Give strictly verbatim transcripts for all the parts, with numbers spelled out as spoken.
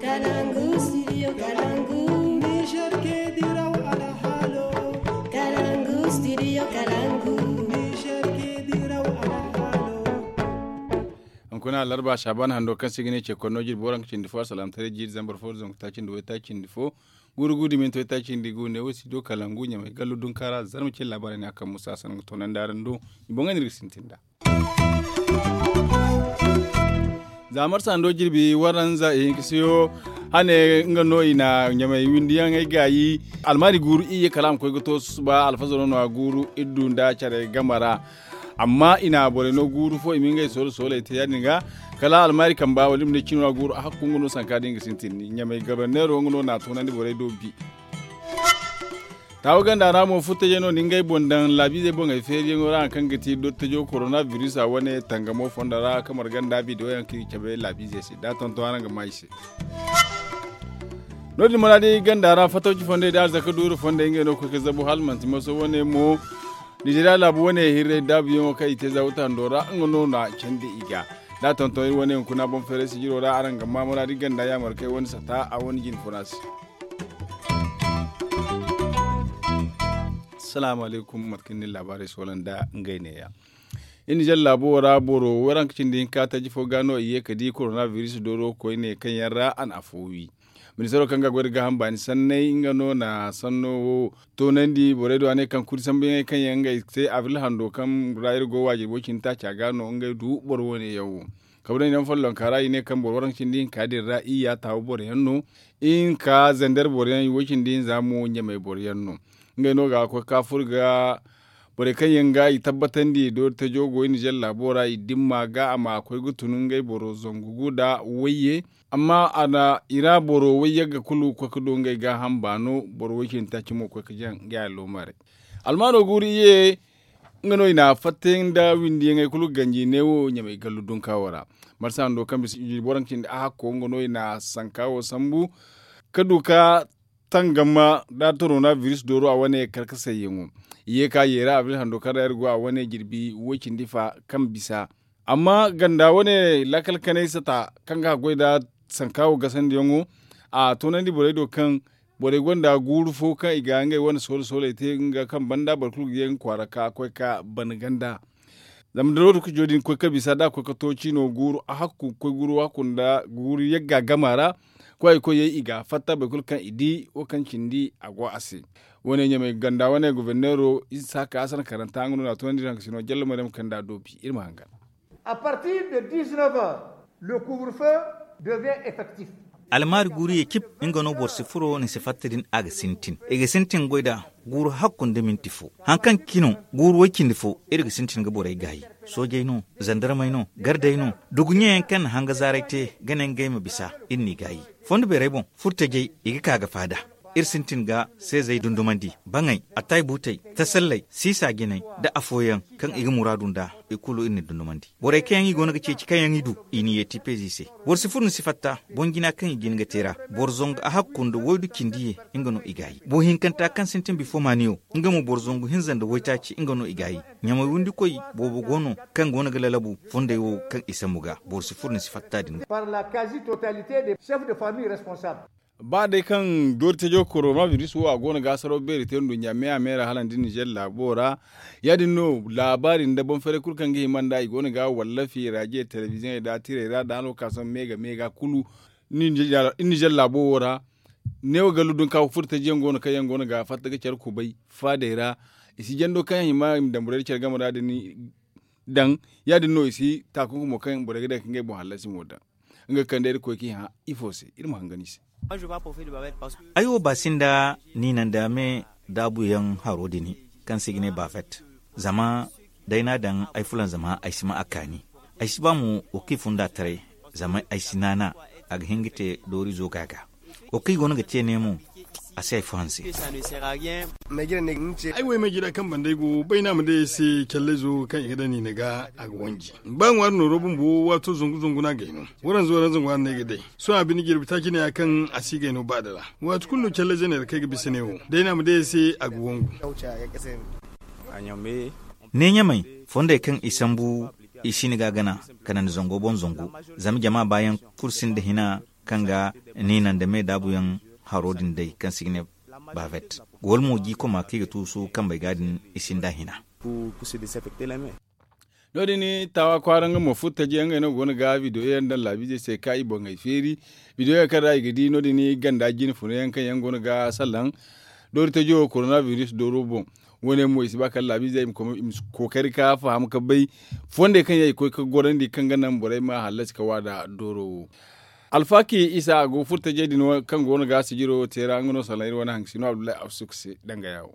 Kalangu studio kalangu. Niger ke diraw alhalo. Kalangu studio kalangu. Niger ke diraw alhalo. Hunkuna alarba shaban hando kaŋ se ga ne ce konno jirbi waranka cindi fo alsalam tare jiiri zambar fo zangu taaci nda way taaci nda fo. Guuru guuru da minti way taaci nda gu ne wo studio kalangu ɲamay gallu dunkaara zarma ce laabaarey ne a kaŋ musa sananga toonandi araŋ do. I boŋ ga ne iri ga sintin da. Za marsa hando jirbi waranza ihinka siyo hane nga no i na ɲamay windiyaŋey gaayi. Almaari guuru iyye kala a ma koy ga to susuba alfazaro no a guuru iddu nda care game ra. Amma i na borey no guuru fo i ma ngey soole sooley te ya- din ga. Kala almaari kamba wala i ma ne cino a guuru a hakku nga no sanka da nga sintin ɲamay gabarneero nga no na a toonandi borey do bi. Taawa ganda ra mo furtajey no na ngey boŋ daŋ laabiizey boŋey feeriyaŋo ra hari kaŋ ga ti dottijo korona biris a wane tangamo fondo ra kamar ganda bidiyo yaŋ kaŋ i cabe laabiizey se da a tonton araŋ ga maa i se. No- din maraadi ganda ra fatawci fondey da arzaka duuru fondey ngey no ga koy ga zabu hala manti maso wane mo. Nizeriya laabu wane hirray daabuyaŋo kaŋ i te za wata hando ra nga no na candi i ga da a tonton iri wane hunkuna boŋ feeray sijiro ra araŋ ga maa maraadi ganda yaamar kay wane sata a wane jine funa se. Salaamu alaykum mate kaŋ ni laabaarey soola nda ngey neeya. Iri nizer laabo ra boro waranka cindi hinka taji fo ga no i ye ga di korona biris dooro koyne kaŋ yaŋ ra a na afo wi. Ministaro kaŋ ga goy nda gaaham baani sanney nga no na sanno wo toonandi borey do a ne kaŋ kuri sambuyaŋey kaŋ yaŋ ngey te abril hando kaŋ ra iri go waajiri way- cindi taaci a ga no ngey du boro wane yaŋ wo. Kabe daŋ i daŋ follonka ra i ne kaŋ boro waranka cindi hinka din ra iyya taawa boro yaŋ no. Ihinka zander boro yaŋ i way- cindi hinza mo ɲamay boro yaŋ no. Ngey no ga koy ga ka furo ga borey kaŋ yaŋ ga i tabbatandi doori tajo go i nizer laabo ra i dimma ga a ma koy ga tun ngey boro zangu gu nda wayye. Amma a na i ra boro wayyagga kulu koy ga du ngey gaaham baano boro way- cindi taaci mo koy ga jaŋ ngey alloomaaray. Almaano guuru iyye nga no i na fattayaŋ nda windiyaŋey kulu ganji neewo ɲamay gallu dunka wo ra. Marsa hando kaŋ bisa jirbi waranka cindi a hakko nga no i na sanka wo sambu ga du ga tangama da torona biris dooro a wane karkasayyaŋo. I ye ga ka yeera abril hando kaŋ ra iri go a wane jirbi way- cindi fa kaŋ bisa. Amma ganda wane laakal kanay sata kaŋ ga goy nda sanka wo gasandiyaŋo a toonandi borey do kaŋ borey gonda guuru fo kaŋ i ga ngey wane soole sooley te nga kaŋ banda boro kulu ga ye nga kwaara ga koy ga bana ganda. Zama da lokaco din koy ga bisa da a koy ga to ciino guuru a hakku koy guuru hakku nda guuru yagga gama ra. Koy ay koy yay i ga fatta boro kulu kaŋ i di wo kaŋ cindi a go a se. Wane ɲamay ganda wane goborneero isa ka a sana karanta nga no na a toonandi ranka sino jallo maryam kaŋ da a doobi iri ma hangan. A partir de dix-neuf heures le couvre feu devient effectif. Almaari guuru ye cib nga no boro si furo ni si fatta din a ga sintin i ga sintin goy da guuru hakku nda minti fo. Hari kaŋ cino guuru way- cindi fo iri ga sintin ga borey gaayi. Soojey no, zandarmey no, gardey no, duguɲeyaŋ kaŋ na hanga zaaray te ga ne ngey ma bisa iri n'i gaayi. Fondo beerey boŋ furtajey i ga ka ga faada. Iri sintin ga seezey dundumandi, baŋey, atay buutey, tasalley, siisa jinay, nda afooyaŋ kaŋ i ga muraadu nd'a, i kulu iri n'i dundumandi. Borey kaŋ yaŋ i goono ga ceeci kaŋ yaŋ i du, i n'i yeeti peezi se. Boro si furo ni si fatta boŋ jina kaŋ i jin ga te ra. Boro zangu a hakku nda waydu cindi ye nga no i gaayi. Boro hinkanta kaŋ sintin bifo maaniyo, nga mo boro zangu hinza nda waytaaci nga no i gaayi. Ɲamay windikoy boobo go no kaŋ goono ga lalabu fondey wo kaŋ i sambu ga boro si furo ni si fatta din ga. Ba day kaŋ doori tajo korona biris wo a go no ga saraw beeri te nduɲɲa me a me ra hala nda nizer laabo ra. Ya- din no laabaari nda boŋ feeray kulu kaŋ ga hima nd'a i go no ga wallafi rajiye telebiziyoŋey da tirey ra da hano ga ka sohõ me ga me ga kulu. Nizer laabo wo ra neewo gallu dunka furo taji yaŋ go no kaŋ yaŋ go no ga fatta ga care kubay faadey ra. I si jando kaŋ yaŋ hima i ma daŋ borey da care game ra din daŋ. Ya- din no i si taakunku mo kaŋ borey ga daŋ ka ngey boŋ hallasi mo daŋ. Nga ga kande iri koy kaŋ i hã ifo se iri ma hangan i se. Ay wo baasinda niina nda me daabuyaŋ haro din kaŋ se i ga ne baafet. Zama day no a daŋ ay fulanzama ay si ma a kaani. Ay si ba mo wo kaŋ i funda taray. Zama ay si naana a ga hin ga te doorizo ga ga wo kaŋ i goono ga te ne mo. A si hay fo hanse. Ay wo ay ma jira kaŋ banda ay go bayna ma day ay se callayzo kaŋ i ga daŋ niina ga a ga wanji. Ba ŋwaari nooro bumbo waato zangu zangu no a gay no. Waranza waranza ŋwaari no ay ga day. Sohõ a bine jirbi taaci ne ya kaŋ a si gay no ba da ra. Waati kulu no callayze ne ra kaŋ ay ga bisa ne wo day no a ma day ay se a ga wangu. Ne ɲamay fondey kaŋ i sambu i si ni ga gana kanandi zango boŋ zangu. Zama jama baayaŋ kulu sinda hina. kaŋ ga niina nda me daabuyaŋ haro din day kaŋ se i ga ne bavet. Wala mo jiikoma kaŋ i ga tuusu kambey ga din i sinda hina. No- din taawa kwaara nga mo furo taji yaŋ ngey no go no ga bidiyo yaŋ daŋ laabiizey se ka i boŋey feeri. Bidiyo yaŋ kaŋ ra i ga di no- din ganda jine funa yaŋ kaŋ yaŋ go no ga salaŋ doori tajo korona biris dooro boŋ. Wo- ne mo i si ba kala laabiizey i ma koy- i ma kookari ka faham ka bay fondey kaŋ yaŋ i koy ga gorandi kaŋ ga naŋ borey ma hallasi ka waada dooro wo. Alfaaki isa a go furo tajey din kaŋ go no ga sijiro te ra nga no salaŋ iri wane haŋ si no abdullahi absuk se danga yaawo.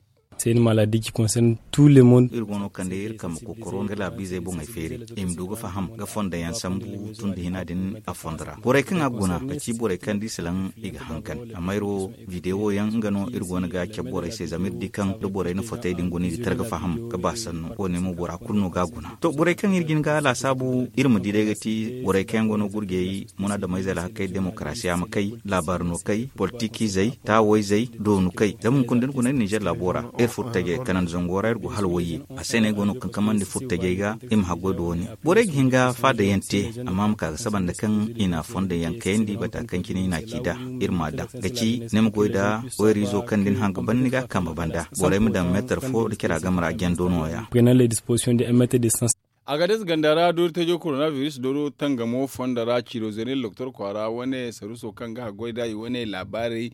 Iri go no kande iri kambe kokoro nga laabiizey boŋey feeri i ma du ga faham ga fonda yaŋ sambu tun da hina din a fondo ra borey kaŋ a guna ga ci borey kaŋ da i salaŋ i ga hangan. Amma iri wo bidewo yaŋ nga no iri go no ga cabe borey se zama iri di kaŋ da borey na fotey din guna i ga tara ga faham ga ba sanno wo- ne mo bora kulu no ga a guna. To borey kaŋ iri jin ga laasaabu iri ma di day ga ti borey kaŋ yaŋ go no gurjey munaadameyze alhakey demokarasiya ma kay laabaari no kay politikiizey taawayzey doonu kay zama hunkuna da ni guna iri ninzeer laabo ra iri furo tajey kanandi zango ra iri go hala wayye. A se no ay go no ga kankamandi furo tajey ga i ma haggoy da wo- ne borey ga hin ga faada yaŋ te amma ma ka ga saba nda kaŋ i na a fondo yaŋ kayandi bata kaŋ cine i na a ci nd'a. Iri ma a daŋ ga ci ni ma goy nda wayriizo kaŋ da ni haŋ ga ban ni ga a kambe banda borey ma daŋ meetar fo nda cira game ra jando no- ya. Prenant les dispositions de un mètre de cent. Agades ganda ra doori tajo korona biris dooro tangamo fondo ra ciro zene doktor kwaara wane saruso kaŋ ga haggoy nda i wane laabaarey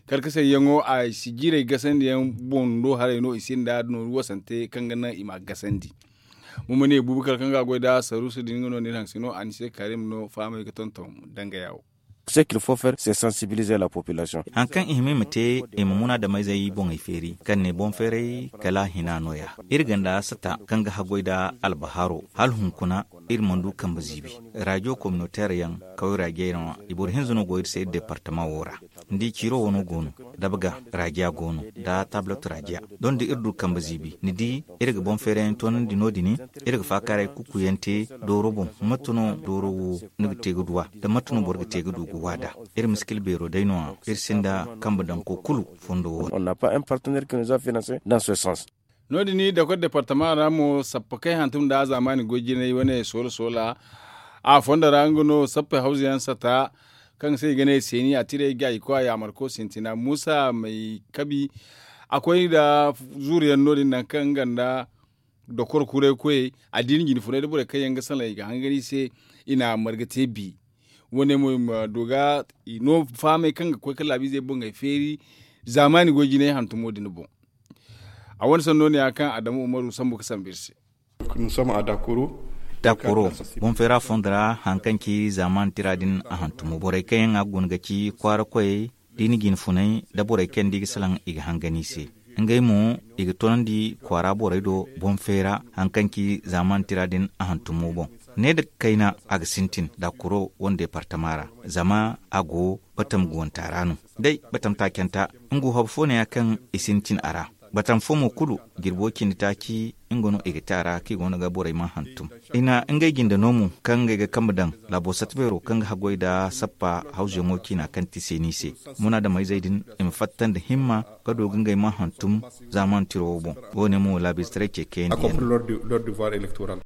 karkasayyaŋo a si jiirey gasandi yaŋ boŋ do haray no i sinda nooru wasante kaŋ ga naŋ i ma a gasandi. Mo ma ne buubu kala kaŋ ga haggoy nda saruso din nga no ni haŋ si no a ni se kaarim no fahamay ga tonton danga yaawo. Haŋ kaŋ i hima i ma te i ma munaadameyzey boŋey feeri kaŋ ne boŋ feeray kala a hina no- ya. Iri ganda sata kaŋ ga haggoy nda albahaaro hala hunkuna iri mana du kambe ziibi. Rajo kominoteer yaŋ kaway raajey ra no i boro hinza no go iri se iri departama wo ra. Ni di ciiro wano go no dabga raajiya go no nda tablot raajiya. Doŋ da iri du kambe ziibi ni di iri ga boŋ feerayaŋ toonandi no- din. Iri ga faakaaray kukuyaŋ te dooro boŋ mate no dooro wo ni ga te ga du a nda mate no boro ga te ga du ga waada. Iri miskil beero day no- ya iri sinda kambe daŋ ko kulu fondo wo. No- din dokor departama ra mo sappa kay hantum nda zaamaani goy jinay wane soola soola a fondo ra nga no sappey hawza yaŋ sata kaŋ se i ga ne seeni a tiray ga i koy a yaamarko sintina muusa may kabi a koy nda zuuru yaŋ no- din nangu kaŋ nga nda dokor kuray koyey a diina jine funay nda borey kaŋ yaŋ ga salaŋ i ga hangan i se i na marga te bi. Wo- ne mo i ma du ga i no fahamay kaŋ ga koy ga laabiizey boŋey feeri zaamaani goy jinay hantumo din boŋ. A wane sanno no- ya kaŋ adamu umaru sambu ga sambu iri se. Daakoro boŋ feera fondo ra hari kaŋ ci zaamaani tira din a hantumo borey kaŋ yaŋ a ga guna ga ci kwaara koyey diina jine funay nda borey kaŋ yaŋ da i ga salaŋ i ga hangan i se. Ngey mo i ga toonandi kwaara borey do boŋ feera hari kaŋ ci zaamaani tira din a hantumo boŋ. Ne nda kayna a ga sintin daakoro wane departama ra zama a go batam guwanta ra no. Day batam taacanta nga wo haba fo ne- ya kaŋ i sintin a ra. Batam fo mo kulu jirbo cindi taaci nga no i ga te a ra kaŋ i go no ga borey ma hantum. I na ngey jinde no mo kaŋ ngey ga kambe daŋ laabo satta beero kaŋ ga haggoy nda sappa hawzuyaŋo ciina kaŋ ti seeni se. Munaadamayzey din i ma fatta nda himma ga du ga ngey ma hantum zaamaani tiro wo boŋ. Wo- ne mo laabiizetaray ce kayandi yaŋ no.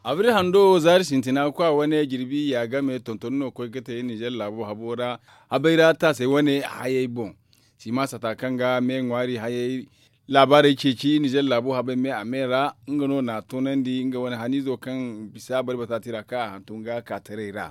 Abri hando zaari sintina kwa wane jirbi ya game tonton no koy ga te ninzeer laabo habo ra. Habay ra taasay wane hayey boŋ sima sata kaŋ ga me ŋwaari hayey laabaarey ceeci ninzeer laabo habay me a me ra. Nga no na a toonandi nga wane haniizo kaŋ bisa bari bata tira kaŋ a hantum ga ka taray ra.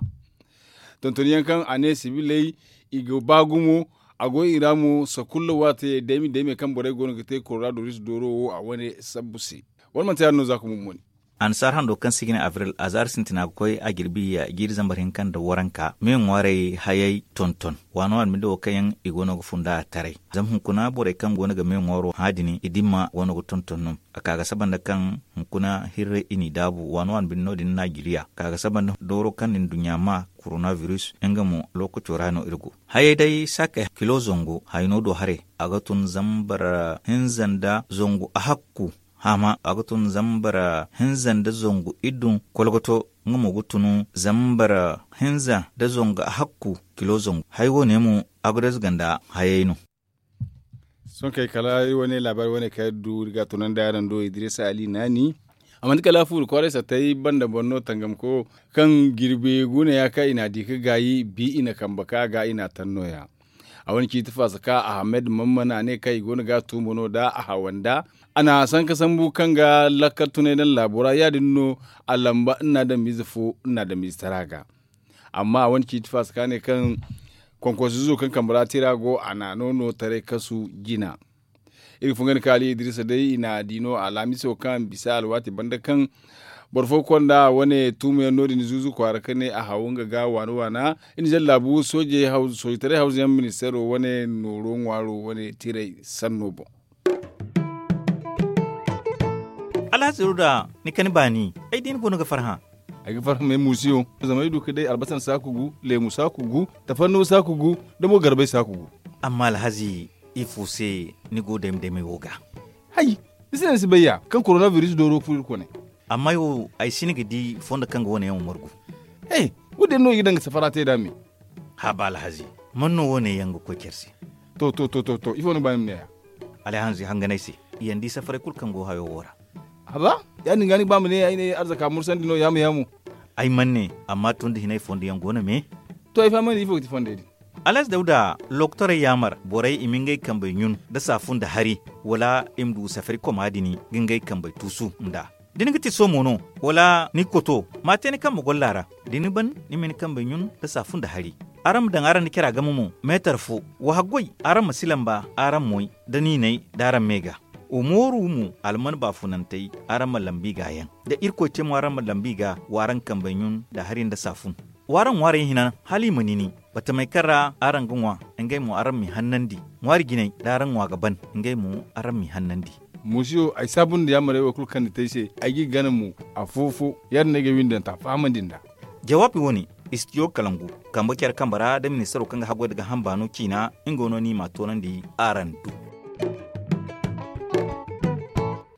Tonton yaŋ kaŋ a ne sibiley i ga ba gumo a go i ra mo sakulla waate daymi daymi kaŋ borey go no ga te korona doris dooro wo a wane sabbu se. Wala manti ya- din no za ka mummuni. Annasaara hando kaŋ se i ga ne abril a zaari sintina ga koy a jirbi jiiri zambar hinka nda waranka me ŋwaarey hayey tonton waano waano binde wo kaŋ yaŋ i go no ga funda a taray. Zama hunkuna borey kaŋ go no ga me ŋwaaro hã din i dimma go no ga tonton no. A ka ga saba nda kaŋ hunkuna hirre i n'i daabu waano waano binde no- din naajiriya ka ga saba nda dooro kaŋ na nduɲɲa ma korona biris nga mo lookaco ra no iri go. Hayey day saakey kilo zangu hayno do haray a ga tun zambar hinza nda zangu ahakku. Haama a ga tun zambar hinza nda zangu iddu kolgoto nga mo ga tun zambar hinza nda zangu ahakku kilo zangu hay wo- ne mo abrez ganda hayey no. Sohõ kay kala iri wane laabaari wane kaŋ iri du iri ga a tunandi araŋ do idiriisa ali naani. A manti kala fuuri kwaaray sattey banda boŋ no tangamko kaŋ jirbi guuna ya kaŋ i n'a di ka gaayi bi i na kambe ka ga i n'a taŋ nooya. A wane ciiti faasa ka ahamed mamman a ne kaŋ i go no ga a tuumo no da a hawanda. A na sanka sambu kaŋ ga lakkal tunay daŋ laabo ra ya- din no a lamba nna daŋ miize fo nna daŋ miize tara ga. Amma a wane ciiti faasa ka ne kaŋ konkonso izo kaŋ kambe ra tira go a na no no taray kasu jina. Iri ga fungandi ka ali idrisa day i na a di no alhamiso kaŋ bisa alwaati banda kaŋ boro fo konda wane tuumo yaŋ no- din zuuzu kwaara ka ne a haw nga ga waana waana. Iri na zallaabu soojey sooje taray hawzu yaŋ ministeero wane nooro ŋwaaro wane tiray sanno boŋ. Alhazi ruda, ni kani baani ay di ni go no ga farhã. Ay ga farhã me muusiyo zama ay du ka day albasan saaku gu, leemu saaku gu, tafanno saaku gu, da mo garbay saaku gu. Amma alhazi, ifo se ni go dayma daymay wo ga? Hay, ni si naŋ ni si bay ya kaŋ korona biris dooro furo iri kone. Amma ay wo ay si ni ga di fondo kaŋ ga wane yaŋ wo margu. He, wo- din no i ga daŋ ga safara te nd'a me. Haba alhazi, man no wo- ne yaŋ ga koy care se? To to to to to ifo ni ga ba ni ma ne ya? Alhazi, hangan ay se, i yaŋ di safaray kulu kaŋ go hayo wo ra. Haba, ya- din ga ni ga ba ma ne ay ne arzaka mursandi no yaamu yaamu. Ay man ne, amma tun da hinay fondo yaŋ go no me. To ay fahamandi ifo ga ti fondey din? Alhazi dawda, lokotorey yaamar borey i ma ngey kambey ɲun nda saafun nda hari, wala i ma du safari koma din ga ngey kambey tuusu nd'a. Da ni ga ti somo no, wala ni koto, ma a te ni kambe golla ra. Da ni ban, ni ma ni kambey ɲun nda saafun nda hari. Araŋ ma daŋ araŋ nda cara game mo, meetar fo. Wa haggoy, araŋ ma si lamba araŋ moy, nda niinay nda araŋ me ga. Wa mooru mo alman baafunantey, araŋ ma lambu i ga yaŋ. Da irkoy te mo araŋ ma lambu i ga, wa araŋ kambey ɲun nda hari nda saafun. Wa araŋ ŋwaarey hina hala i ma nini. Batamey kaŋ ra araŋ ga ŋwa, ngey mo araŋ m'i hannandi. Ŋwaari jinay da araŋ ŋwa ga ban, ngey mo araŋ m'i hannandi. Muusiyo, ay saabu nda yaamarey wo kulu kaŋ ni te ay se, ay g'i gana mo. Afo-fo, ya- din no ay ga ay windanta fahamandi nd'a. Jawaabi wo- ne, istijo kalangu, kambe care kambe ra nda ministaro kaŋ ga haggoy nda gaaham baano ciina, nga no no i m'a toonandi araŋ du.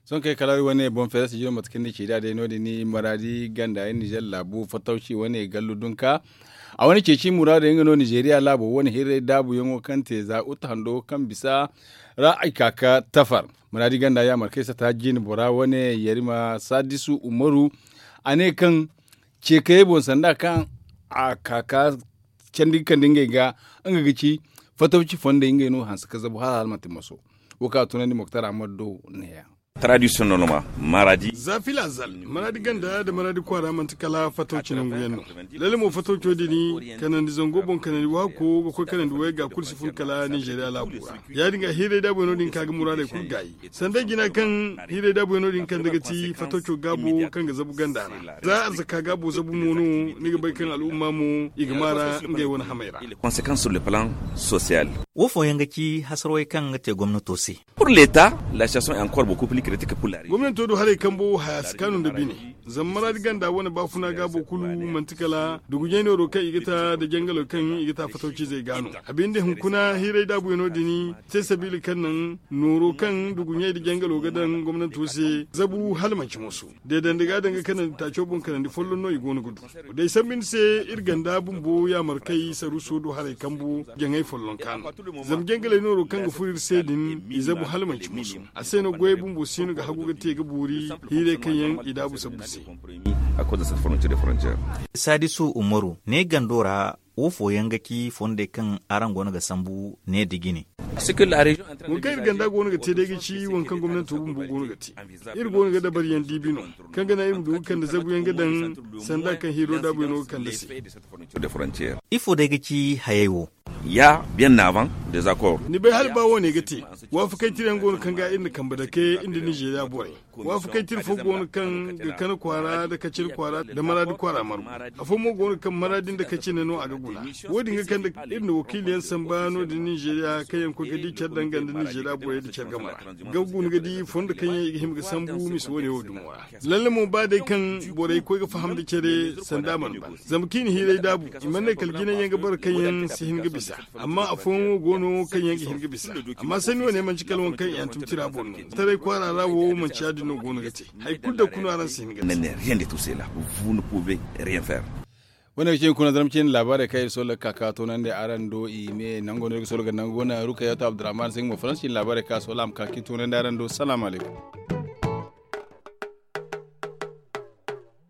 Sohõ kay kala iri wane boŋ feera sijiro mate kaŋ ni ci nd'a day no- din ni maraadi ganda iri nizer laabu fatawci wane gallu dunka. A wane ceeci muraadey nga no nizeriya laabo wane hirray daabuyaŋo kaŋ te za uta hando kaŋ bisa ra ay ka ka tafar. Maraadi ganda yaamar kaŋ ay sata jiine bora wane yarima sadisu umaru, a ne kaŋ ceekayey boŋ sanda kaŋ a ka ka candi ga kande ngey ga, nga ga ci fatawci fondey ngey no hanse ka zabu hala hala manti maso. Wo kaŋ a tunandi moktar ahmad do neeya. Tradisiyonel ma maradi. Za fila zal maradi ganda nda maradi kwaara manti kala fatawci nangu yaŋ no. Lalle mo fatawco din kanandi zango boŋ kanandi waako ga koy kanandi wayga kulu si fun kala nizeriya laabo ra. Ya- din ga hiiray daabuyaŋo din ka ga muraadey kulu gaayi. Sanda jina kaŋ hiiray daabuyaŋo din kande ga ti fatawco gaabo kaŋ ga zabu ganda ra. Za arzaka gaabo zabu mo no ni ga bay kaŋ al'umma mo i ga maara ngey wane hamey ra. Konsekans sur le plan sosiyal. Wo fooyaŋ ga ci hasarwey kaŋ ga te gomnato se. Pur leta la sitasion est ankor boku pli kritike pur la rezion. Gomnato do haray kambo haya si kaanu nda bine. Zama maraadi ganda wane baafuna gaabo kulu manti kala duguɲey nooro kaŋ i ga ta nda jangalo kaŋ i ga ta fatawcizey ga no. A binde hunkuna hiiray daabuyaŋo din te sabiila kaŋ naŋ nooro kaŋ duguɲey nda jangalo ga daŋ gomnato se zabu hala manci mooso. Deedandi ga daŋ ga kanandi taaco boŋ kanandi folloŋ no i go no ga du. Day sambu ni se iri ganda bumbo yaamarkey saruuso do haray kambu jaŋay folloŋ kaanu. Zama jangaley nooro kaŋ ga furo iri se din i zabu hala manci musu. A se no goyey bumbo siino ga hagu ga te ga boori hiirey kaŋ yaŋ i daabu sabbu se. Saadisu umaru ne gando ra wo fooyaŋ ga ci fondey kaŋ araŋ go no ga sambu ne da jine. Wo kaŋ iri ganda go no ga te day ga ci waŋ kaŋ gomnanto bumbo go no ga te. Iri go no ga dabariyaŋ diibi no kaŋ ga naŋ iri ma du ga kande zabuyaŋ ga daŋ sanda kaŋ hiiro daabuyaŋo ga kande se. Ifo day ga ci hayey wo? Ya bien avant des accords. Ni bay hala ba wane ga te waafakay tirayaŋ go no kaŋ ga iri na kambe dake iri nda nizeeriya borey. Waafakay tira fo go no kaŋ ga kane kwaara nda kacine kwaara nda maraadi kwaara margu. Afo mo go no kaŋ maraadi nda kacine no a ga guna. Wo- din ga kande iri na wakiiliyaŋ samba no- din nizeeriya kaŋ yaŋ koy ga di care danga nda nizeeriya borey nda care game ra ga guna ga di fondo kaŋ yaŋ i ga hima ga sambu misa wane wo dumo ra. Lalle mo ba day kaŋ borey koy ga faham nda care sanda mana ban zama kaŋ i na hiiray daabu i mana ne kala jinay yaŋ ga bara kaŋ yaŋ si hin ga bisa. Amma afooyaŋ wo go no kaŋ yaŋ ga hin ga bisa. Amma sanni wane manci kala waŋ kaŋ i hantum tira boŋ no. Taray kwaara ra wo manci ya- din no go no ga te. Hari kulu da kulu no araŋ si hin ga te. Wane ga cine kuna zarma cine laabaarey kaŋ iri soola ga ka ka toonandi araŋ do i me nango no iri ga soola ga nangu wane rukayatu abdurrahman se nga mo faransi cine laabaarey kaŋ a soola a ma ka ka i toonandi araŋ do salaamu alaykum.